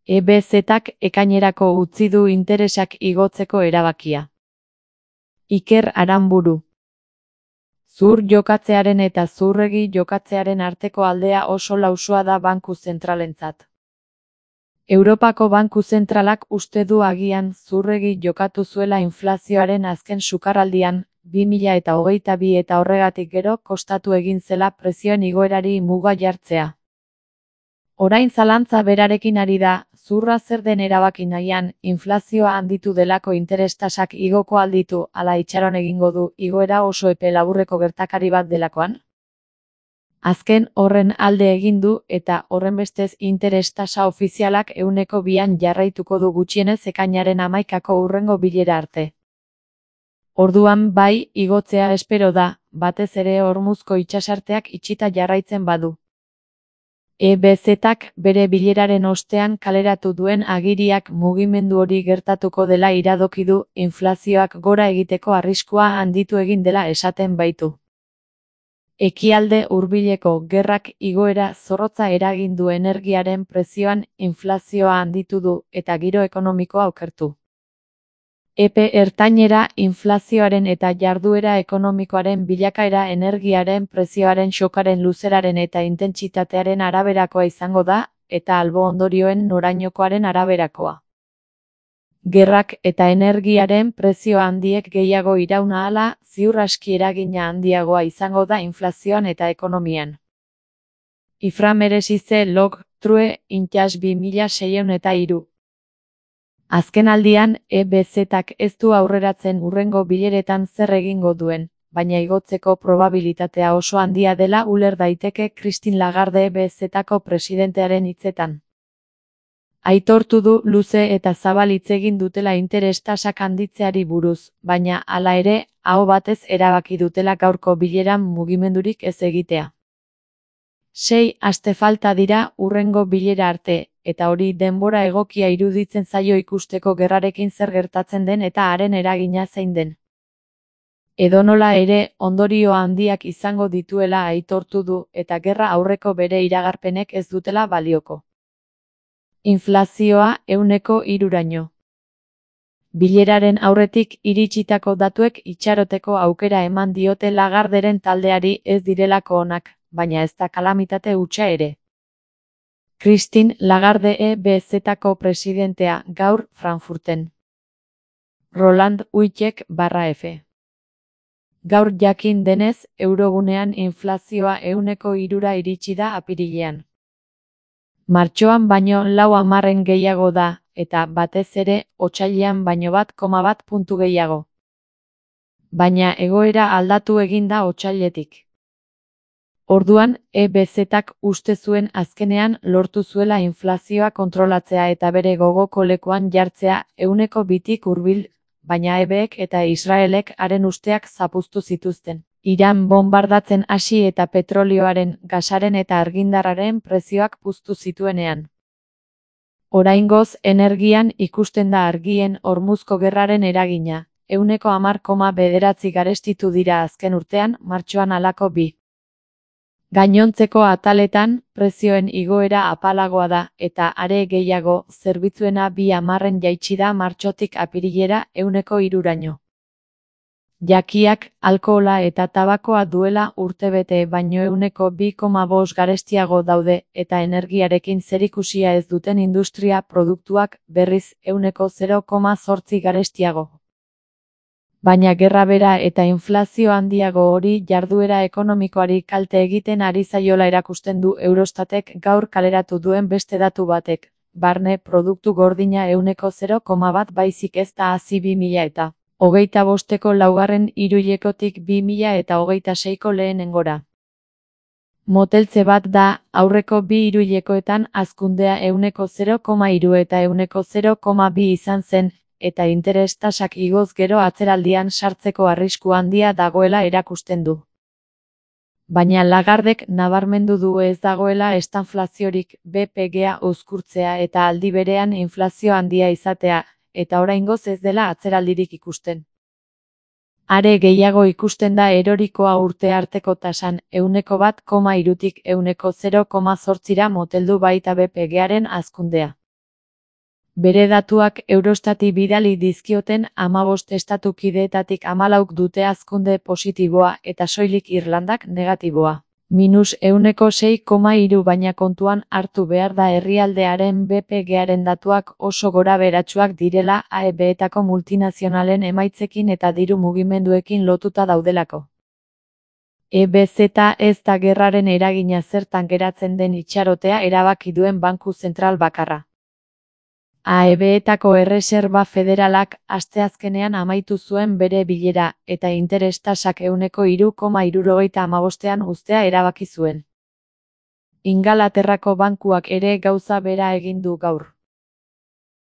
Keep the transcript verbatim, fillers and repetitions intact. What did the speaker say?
E B Z-ak ekainerako utzi du interesak igotzeko erabakia. Iker Aranburu. Zur jokatzearen eta zurregi jokatzearen arteko aldea oso lausua da Banku Zentralentzat. Europako Banku Zentralak uste du agian zurregi jokatu zuela inflazioaren azken sukarraldian, bi mila eta hogeita bi eta horregatik gero kostatu egin zela prezioen igoerari muga jartzea. Orain zalantza berarekin ari da, zurra zer den erabaki nahian, inflazioa handitu delako interes-tasak igoko alditu, ala itxaron egingo du, igoera oso epe laburreko gertakari bat delakoan? Azken horren alde egin du eta horrenbestez interes-tasa ofizialak ehuneko bian jarraituko du gutxienez ekainaren hamaikako hurrengo bilera arte. Orduan bai, igotzea espero da, batez ere Hormuzko itsasarteak itxita jarraitzen badu. E B Z-ak bere bileraren ostean kaleratu duen agiriak mugimendu hori gertatuko dela iradoki du, inflazioak gora egiteko arriskua handitu egin dela esaten baitu. Ekialde hurbileko gerrak igoera zorrotza eragin du energiaren prezioan, inflazioa handitu du eta giro ekonomikoa okertu. Epe ertainera inflazioaren eta jarduera ekonomikoaren bilakaera energiaren prezioaren xokaren luzeraren eta intentsitatearen araberakoa izango da, eta albo ondorioen norainokoaren araberakoa. Gerrak eta energiaren prezio handiek gehiago iraun ahala, ziur aski eragina handiagoa izango da inflazioan eta ekonomian. Ifra meresize log, true, intxas bi mila seiehun eta hiru. Azken aldian, E B Z-ak ez du aurreratzen hurrengo bileretan zer egingo duen, baina igotzeko probabilitatea oso handia dela uler daiteke Christine Lagarde E B Z-ako presidentearen hitzetan. Aitortu du luze eta zabal hitz egin dutela interes-tasak handitzeari buruz, baina hala ere, aho batez erabaki dutela gaurko bileran mugimendurik ez egitea. Sei aste falta dira hurrengo bilera arte, eta hori denbora egokia iruditzen zaio ikusteko gerrarekin zer gertatzen den eta haren eragina zein den. Edonola ere, ondorio handiak izango dituela aitortu du eta gerra aurreko bere iragarpenek ez dutela balioko. Inflazioa ehuneko hiruraino. Bileraren aurretik iritsitako datuek itxaroteko aukera eman diote Lagarderen taldeari ez direlako onak, baina ez da kalamitate hutsa ere. Christine Lagarde E B Z-ako presidentea gaur Frankfurten. Roland Uitek barra F. Gaur jakin denez, eurogunean inflazioa ehuneko hirura iritsi da apirilean. Martxoan baino lau hamarren gehiago da, eta batez ere, otsailean baino bat koma bat puntu gehiago. Baina egoera aldatu egin da otsailetik. Orduan, E B Z-ak uste zuen azkenean lortu zuela inflazioa kontrolatzea eta bere gogoko lekuan jartzea ehuneko bitik hurbil, baina E B-ek eta Israelek haren usteak zapuztu zituzten. Iran bonbardatzen hasi eta petrolioaren, gasaren eta argindarraren prezioak puztu zituenean. Oraingoz energian ikusten da argien Hormuzko gerraren eragina, ehuneko hamar koma bederatzi garestitu dira azken urtean, martxoan halako bi. Gainontzeko ataletan, prezioen igoera apalagoa da, eta are gehiago, zerbitzuena bi hamarren jaitsi da martxotik apirilera ehuneko hiruraino. Jakiak, alkohola eta tabakoa duela urtebete baino ehuneko bi koma bost garestiago daude, eta energiarekin zerikusia ez duten industria produktuak, berriz, ehuneko zero koma zortzi garestiago. Baina gerra bera eta inflazio handiago hori jarduera ekonomikoari kalte egiten ari zaiola erakusten du Eurostatek gaur kaleratu duen beste datu batek, barne produktu gordina ehuneko zero koma bat baizik ez da hazi bi mila eta hogeita bosteko laugarren hiruhilekotik bi mila eta hogeita seiko lehenengora. Moteltze bat da, aurreko bi hiruhilekoetan hazkundea ehuneko zero koma hiru eta ehuneko zero koma bi izan zen, eta interes-tasak igoz gero atzeraldian sartzeko arrisku handia dagoela erakusten du. Baina Lagardek nabarmendu du ez dagoela estanflaziorik, B P G-a uzkurtzea eta aldi berean inflazio handia izatea, eta oraingoz ez dela atzeraldirik ikusten. Are gehiago ikusten da erorikoa urte arteko tasan, ehuneko bat koma hirutik ehuneko zero koma zortzira moteldu baita B P G-aren hazkundea. Bere datuak Eurostati bidali dizkioten hamabost estatu kideetatik hamalauk dute hazkunde positiboa eta soilik Irlandak negatiboa. Minus ehuneko sei koma hiru baina kontuan hartu behar da herrialdearen B P G-aren datuak oso gorabeheratsuak direla A E B-etako multinazionalen emaitzekin eta diru mugimenduekin lotuta daudelako. E B Z ez da gerraren eragina zertan geratzen den itxarotea erabaki duen banku zentral bakarra. A E B-etako Erreserba Federalak asteazkenean amaitu zuen bere bilera, eta interes tasak ehuneko hiru koma hirurogeita hamabostean uztea erabaki zuen. Ingalaterrako bankuak ere gauza bera egin du gaur.